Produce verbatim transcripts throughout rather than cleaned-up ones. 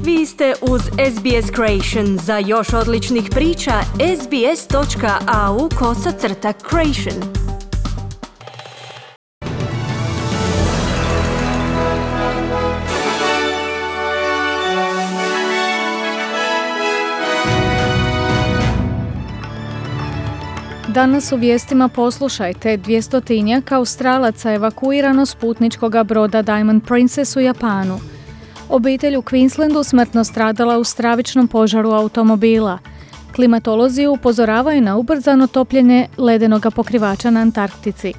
Vi ste uz S B S Creation. Za još odličnih priča, sbs.au kosacrta creation. Danas u vijestima poslušajte, dvjestotinjak Australaca evakuirano s putničkoga broda Diamond Princess u Japanu. Obitelj u Queenslandu smrtno stradala u stravičnom požaru automobila. Klimatolozi upozoravaju na ubrzano topljenje ledenog pokrivača na Antarktici.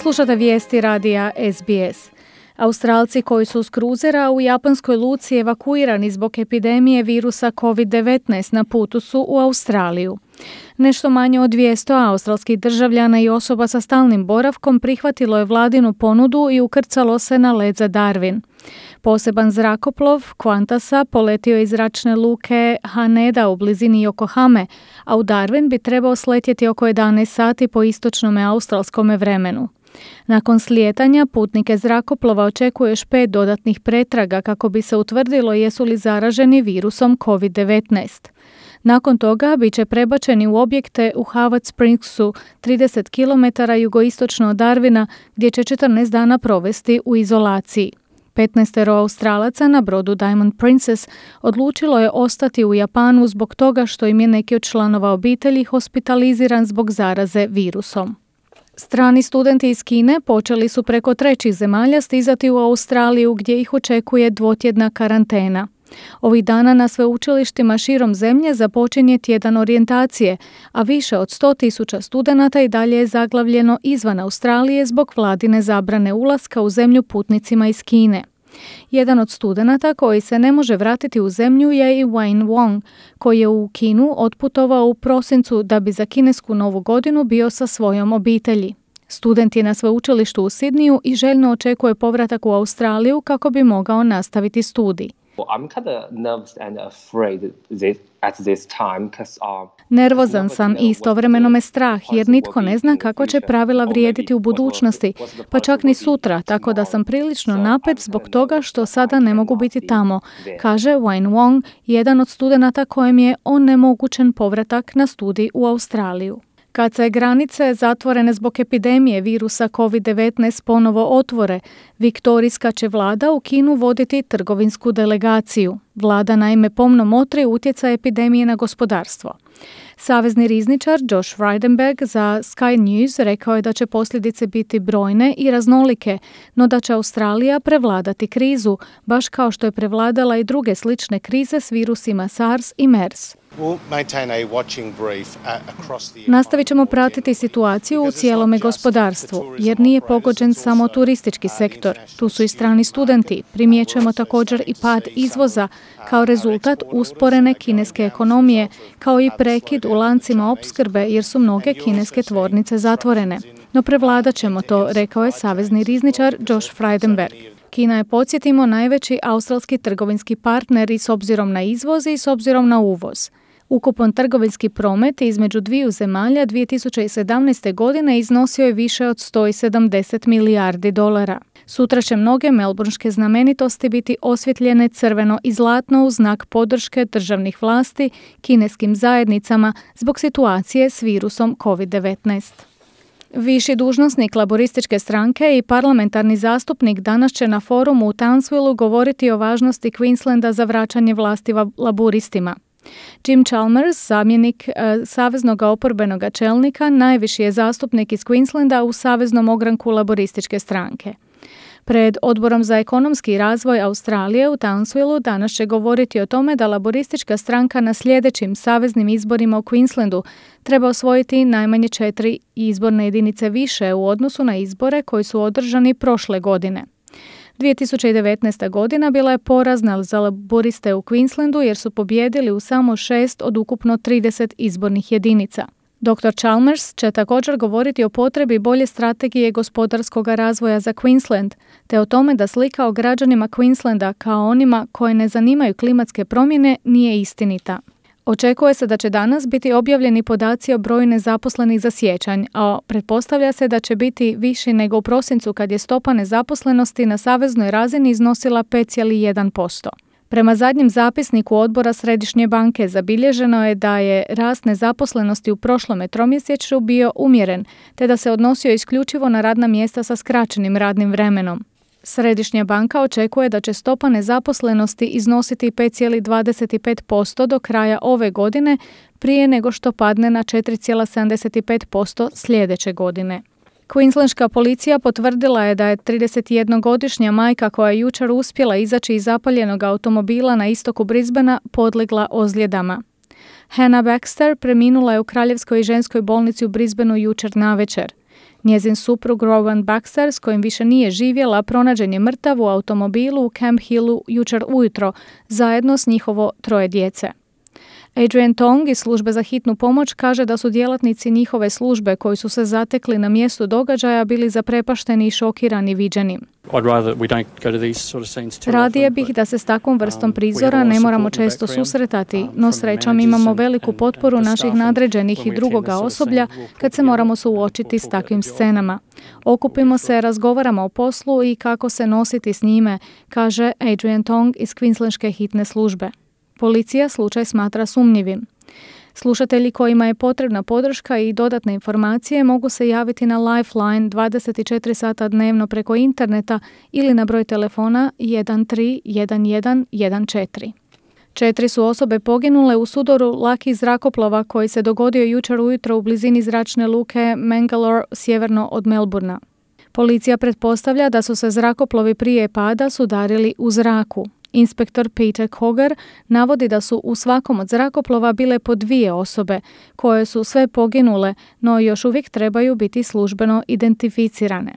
Slušate vijesti radija S B S. Australci koji su s kruzera u japanskoj luci evakuirani zbog epidemije virusa covid devetnaest na putu su u Australiju. Nešto manje od dvjesto australskih državljana i osoba sa stalnim boravkom prihvatilo je vladinu ponudu i ukrcalo se na led za Darwin. Poseban zrakoplov Qantasa poletio iz zračne luke Haneda u blizini Yokohame, a u Darwin bi trebao sletjeti oko jedanaest sati po istočnome australskome vremenu. Nakon slijetanja putnike zrakoplova očekuje još pet dodatnih pretraga kako bi se utvrdilo jesu li zaraženi virusom covid devetnaest. Nakon toga bit će prebačeni u objekte u Howard Springsu, trideset kilometara jugoistočno od Darwina, gdje će četrnaest dana provesti u izolaciji. petnaestero Australaca na brodu Diamond Princess odlučilo je ostati u Japanu zbog toga što im je neki od članova obitelji hospitaliziran zbog zaraze virusom. Strani studenti iz Kine počeli su preko trećih zemalja stizati u Australiju gdje ih očekuje dvotjedna karantena. Ovih dana na sveučilištima širom zemlje započinje tjedan orijentacije, a više od sto tisuća studenata i dalje je zaglavljeno izvan Australije zbog vladine zabrane ulaska u zemlju putnicima iz Kine. Jedan od studenata koji se ne može vratiti u zemlju je i Wayne Wong, koji je u Kinu otputovao u prosincu da bi za kinesku novu godinu bio sa svojom obitelji. Student je na sveučilištu u Sidniju i željno očekuje povratak u Australiju kako bi mogao nastaviti studij. I'm kind of nervous and afraid this, at this time because um, Nervozan sam i istovremeno me strah jer nitko ne zna kako će pravila vrijediti u budućnosti, pa čak ni sutra, tako da sam prilično napet zbog toga što sada ne mogu biti tamo, kaže Wayne Wong, jedan od studenata kojem je onemogućen povratak na studij u Australiju. Kad se granice zatvorene zbog epidemije virusa covid devetnaest ponovo otvore, viktorijska će vlada u Kinu voditi trgovinsku delegaciju. Vlada naime pomno motri utjecaj epidemije na gospodarstvo. Savezni rizničar Josh Frydenberg za Sky News rekao je da će posljedice biti brojne i raznolike, no da će Australija prevladati krizu, baš kao što je prevladala i druge slične krize s virusima SARS i MERS. Nastavit ćemo pratiti situaciju u cijelome gospodarstvu, jer nije pogođen samo turistički sektor. Tu su i strani studenti. Primjećujemo također i pad izvoza kao rezultat usporene kineske ekonomije, kao i prekid u lancima opskrbe jer su mnoge kineske tvornice zatvorene. No prevladat ćemo to, rekao je savezni rizničar Josh Frydenberg. Kina je, podsjetimo, najveći australski trgovinski partner i s obzirom na izvoz i s obzirom na uvoz. Ukupan trgovinski promet između dviju zemalja dvije tisuće sedamnaeste. godine iznosio je više od sto sedamdeset milijardi dolara. Sutra će mnoge melbourneške znamenitosti biti osvjetljene crveno i zlatno u znak podrške državnih vlasti kineskim zajednicama zbog situacije s virusom covid devetnaest. Viši dužnosnik laborističke stranke i parlamentarni zastupnik danas će na forumu u Townsvillu govoriti o važnosti Queenslanda za vraćanje vlasti laburistima. Jim Chalmers, zamjenik e, saveznog oporbenog čelnika, najviši je zastupnik iz Queenslanda u saveznom ogranku laborističke stranke. Pred Odborom za ekonomski razvoj Australije u Townsvillu danas će govoriti o tome da laboristička stranka na sljedećim saveznim izborima u Queenslandu treba osvojiti najmanje četiri izborne jedinice više u odnosu na izbore koji su održani prošle godine. dvije tisuće devetnaesta. godina bila je porazna za laboriste u Queenslandu jer su pobijedili u samo šest od ukupno trideset izbornih jedinica. doktor Chalmers će također govoriti o potrebi bolje strategije gospodarskog razvoja za Queensland, te o tome da slika o građanima Queenslanda kao onima koje ne zanimaju klimatske promjene nije istinita. Očekuje se da će danas biti objavljeni podaci o broju nezaposlenih za siječanj, a pretpostavlja se da će biti viši nego u prosincu kad je stopa nezaposlenosti na saveznoj razini iznosila pet zarez jedan posto. Prema zadnjem zapisniku odbora Središnje banke zabilježeno je da je rast nezaposlenosti u prošlome tromjesečju bio umjeren, te da se odnosio isključivo na radna mjesta sa skraćenim radnim vremenom. Središnja banka očekuje da će stopa nezaposlenosti iznositi pet zarez dvadeset pet posto do kraja ove godine, prije nego što padne na četiri zarez sedamdeset pet posto sljedeće godine. Queenslandska policija potvrdila je da je tridesetjednogodišnja majka koja je jučer uspjela izaći iz zapaljenog automobila na istoku Brisbanea podlegla ozljedama. Hannah Baxter preminula je u Kraljevskoj ženskoj bolnici u Brisbaneu jučer navečer. Njezin suprug Rowan Baxter, s kojim više nije živjela, pronađen je mrtav u automobilu u Camp Hillu jučer ujutro, zajedno s njihovo troje djece. Adrian Tong iz službe za hitnu pomoć kaže da su djelatnici njihove službe koji su se zatekli na mjestu događaja bili zaprepašteni i šokirani viđenim. Radije bih da se s takvom vrstom prizora ne moramo često susretati, no srećom imamo veliku potporu naših nadređenih i drugoga osoblja kad se moramo suočiti s takvim scenama. Okupimo se, razgovaramo o poslu i kako se nositi s njime, kaže Adrian Tong iz Queenslandske hitne službe. Policija slučaj smatra sumnjivim. Slušatelji kojima je potrebna podrška i dodatne informacije mogu se javiti na Lifeline dvadeset četiri sata dnevno preko interneta ili na broj telefona jedan tri jedan jedan jedan četiri. Četiri su osobe poginule u sudoru lakih zrakoplova koji se dogodio jučer ujutro u blizini zračne luke Mangalore sjeverno od Melbourna. Policija pretpostavlja da su se zrakoplovi prije pada sudarili u zraku. Inspektor Peter Cogar navodi da su u svakom od zrakoplova bile po dvije osobe, koje su sve poginule, no još uvijek trebaju biti službeno identificirane.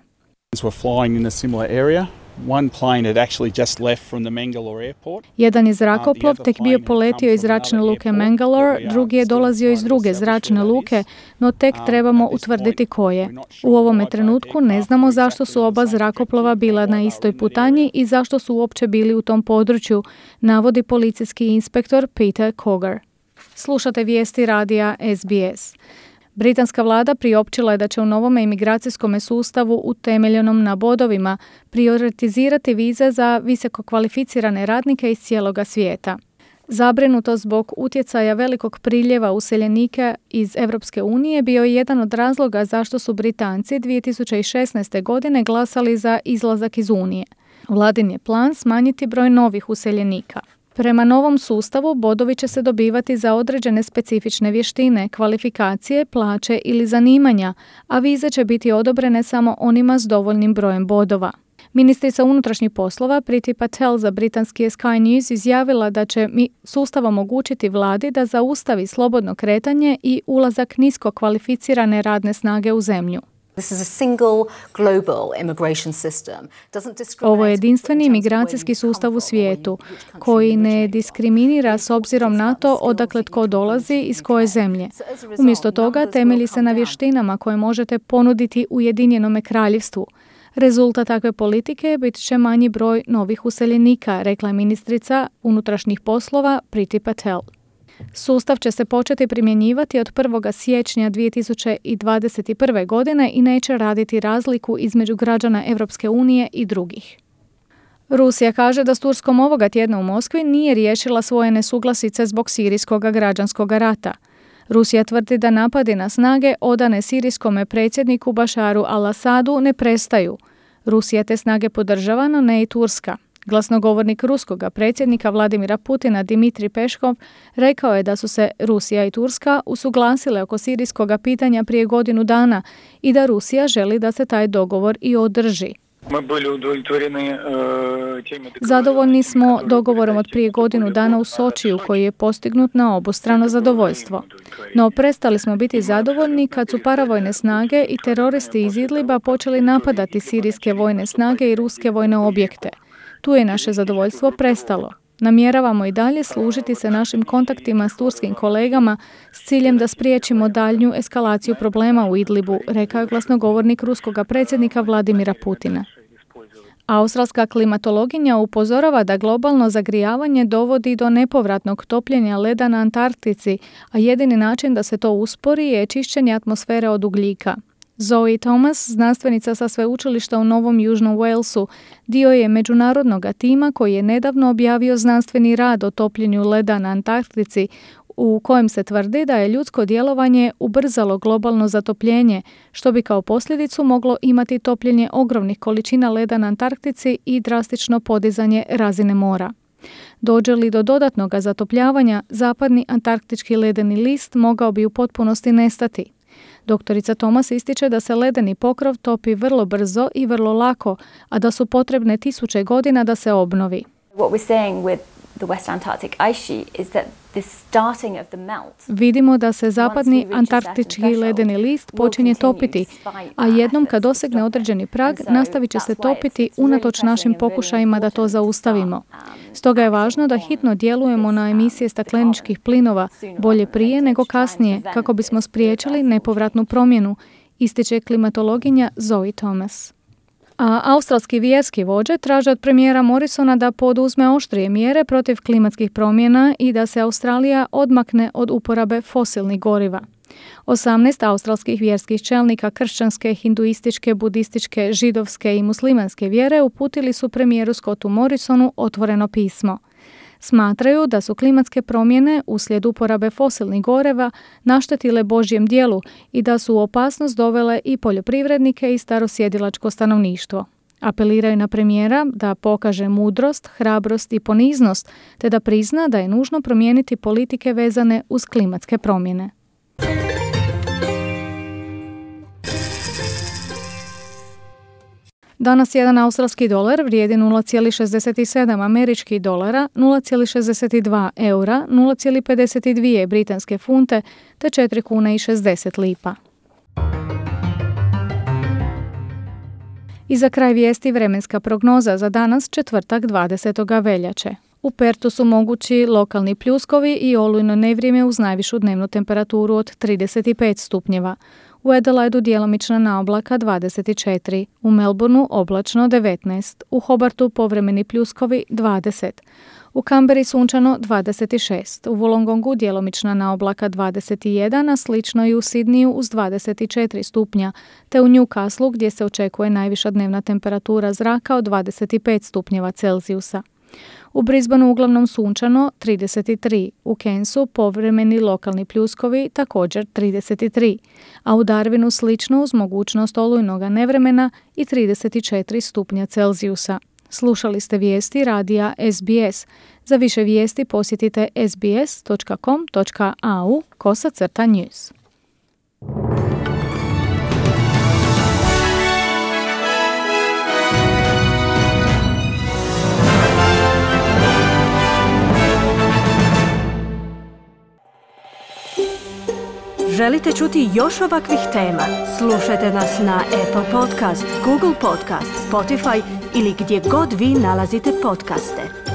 Jedan je zrakoplov tek bio poletio iz zračne luke Mangalore, drugi je dolazio iz druge zračne luke, no tek trebamo utvrditi koje. U ovome trenutku ne znamo zašto su oba zrakoplova bila na istoj putanji i zašto su uopće bili u tom području, navodi policijski inspektor Peter Cogar. Slušate vijesti radija S B S. Britanska vlada priopćila je da će u novome imigracijskom sustavu utemeljenom na bodovima prioritizirati vize za visoko kvalificirane radnike iz cijeloga svijeta. Zabrinutost zbog utjecaja velikog priljeva useljenika iz Europske unije bio je jedan od razloga zašto su Britanci dvije tisuće šesnaeste. godine glasali za izlazak iz Unije. Vladin je plan smanjiti broj novih useljenika. Prema novom sustavu bodovi će se dobivati za određene specifične vještine, kvalifikacije, plaće ili zanimanja, a vize će biti odobrene samo onima s dovoljnim brojem bodova. Ministrica unutrašnjih poslova Priti Patel za britanski Sky News izjavila da će mi sustav omogućiti vladi da zaustavi slobodno kretanje i ulazak nisko kvalificirane radne snage u zemlju. Ovo je jedinstveni imigracijski sustav u svijetu koji ne diskriminira s obzirom na to odakle tko dolazi iz koje zemlje. Umjesto toga temelji se na vještinama koje možete ponuditi Ujedinjenome kraljevstvu. Rezultat takve politike bit će manji broj novih useljenika, rekla je ministrica unutrašnjih poslova Priti Patel. Sustav će se početi primjenjivati od prvog siječnja dvije tisuće dvadeset prve. godine i neće raditi razliku između građana Europske unije i drugih. Rusija kaže da s Turskom ovoga tjedna u Moskvi nije riješila svoje nesuglasice zbog sirijskog građanskog rata. Rusija tvrdi da napadi na snage odane sirijskome predsjedniku Bašaru al-Asadu ne prestaju. Rusija te snage podržava, no ne i Turska. Glasnogovornik ruskog predsjednika Vladimira Putina Dimitrij Peškov rekao je da su se Rusija i Turska usuglasile oko sirijskog pitanja prije godinu dana i da Rusija želi da se taj dogovor i održi. Zadovoljni smo dogovorom od prije godinu dana u Sočiju koji je postignut na obostrano zadovoljstvo. No prestali smo biti zadovoljni kad su paravojne snage i teroristi iz Idliba počeli napadati sirijske vojne snage i ruske vojne objekte. Tu je naše zadovoljstvo prestalo. Namjeravamo i dalje služiti se našim kontaktima s turskim kolegama s ciljem da spriječimo daljnju eskalaciju problema u Idlibu, rekao je glasnogovornik ruskog predsjednika Vladimira Putina. Australska klimatologinja upozorava da globalno zagrijavanje dovodi do nepovratnog topljenja leda na Antarktici, a jedini način da se to uspori je čišćenje atmosfere od ugljika. Zoe Thomas, znanstvenica sa sveučilišta u Novom Južnom Walesu, dio je međunarodnog tima koji je nedavno objavio znanstveni rad o topljenju leda na Antarktici, u kojem se tvrdi da je ljudsko djelovanje ubrzalo globalno zatopljenje, što bi kao posljedicu moglo imati topljenje ogromnih količina leda na Antarktici i drastično podizanje razine mora. Dođe li do dodatnog zatopljavanja, zapadni antarktički ledeni list mogao bi u potpunosti nestati. Doktorica Thomas ističe da se ledeni pokrov topi vrlo brzo i vrlo lako, a da su potrebne tisuće godina da se obnovi. What we're saying with the West Antarctic ice sheet is that the starting of the melt. Vidimo da se zapadni antarktički ledeni list počinje topiti, a jednom kad dosegne određeni prag, nastavit će se topiti unatoč našim pokušajima da to zaustavimo. Stoga je važno da hitno djelujemo na emisije stakleničkih plinova, bolje prije nego kasnije, kako bismo spriječili nepovratnu promjenu, ističe klimatologinja Zoe Thomas. A australski vjerski vođe traže od premijera Morrisona da poduzme oštrije mjere protiv klimatskih promjena i da se Australija odmakne od uporabe fosilnih goriva. osamnaest australskih vjerskih čelnika kršćanske, hinduističke, budističke, židovske i muslimanske vjere uputili su premijeru Scottu Morrisonu otvoreno pismo. Smatraju da su klimatske promjene uslijed uporabe fosilnih goriva naštetile Božjem djelu i da su u opasnost dovele i poljoprivrednike i starosjedilačko stanovništvo. Apeliraju na premijera da pokaže mudrost, hrabrost i poniznost, te da prizna da je nužno promijeniti politike vezane uz klimatske promjene. Danas jedan australski dolar vrijedi nula zarez šezdeset sedam američkih dolara, nula zarez šezdeset dva eura, nula zarez pedeset dvije britanske funte te četiri kune i šezdeset lipa. I za kraj vijesti vremenska prognoza za danas, četvrtak dvadesetog veljače. U Pertu su mogući lokalni pljuskovi i olujno nevrijeme uz najvišu dnevnu temperaturu od trideset pet stupnjeva. U Adelaidu djelomična naoblaka dvadeset četiri, u Melbourneu oblačno devetnaest, u Hobartu povremeni pljuskovi dvadeset, u Canberri sunčano dvadeset šest, u Wollongongu djelomična naoblaka dvadeset jedan, a slično i u Sidniju uz dvadeset četiri stupnja, te u Newcastleu gdje se očekuje najviša dnevna temperatura zraka od dvadeset pet stupnjeva Celzijusa. U Brisbaneu uglavnom sunčano trideset tri, u Cairnsu povremeni lokalni pljuskovi također trideset tri, a u Darwinu slično uz mogućnost olujnoga nevremena i trideset četiri stupnja Celzijusa. Slušali ste vijesti radija S B S. Za više vijesti posjetite s b s dot com dot a u kosacrta news. Želite čuti još ovakvih tema? Slušajte nas na Apple Podcast, Google Podcast, Spotify ili gdje god vi nalazite podcaste.